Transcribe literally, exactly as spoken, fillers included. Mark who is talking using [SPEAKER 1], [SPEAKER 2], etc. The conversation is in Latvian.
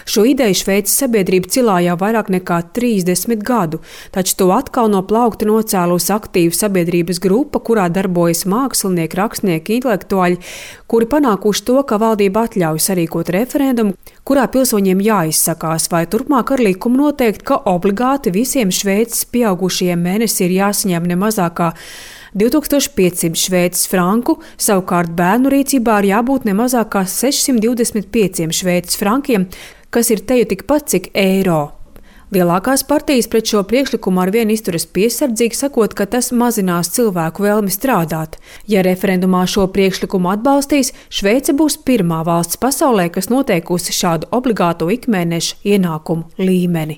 [SPEAKER 1] Šo ideju Šveices sabiedrība cilā jau vairāk nekā trīsdesmit gadu, taču to atkal no plaukta nocēlusi aktīva sabiedrības grupa, kurā darbojas mākslinieki, rakstnieki, intelektuāļi, kuri panākuši to, ka valdība atļauj sarīkot referendumu, kurā pilsoņiem jāizsakās, vai turpmāk ar likumu noteikt, ka obligāti visiem Šveices pieaugušajiem mēnesī ir jāsaņem ne mazāk kā divi tūkstoši piecsimt šveices franku, savukārt bērnu rīcībā ir jābūt ne mazāk kā sešsimt divdesmit pieciem šveices frankiem, kas ir teju tikpat cik eiro. Lielākās partijas pret šo priekšlikumu arvien izturas piesardzīgi, sakot, ka tas mazinās cilvēku vēlmi strādāt. Ja referendumā šo priekšlikumu atbalstīs, Šveice būs pirmā valsts pasaulē, kas noteikusi šādu obligāto ikmēneša ienākumu līmeni.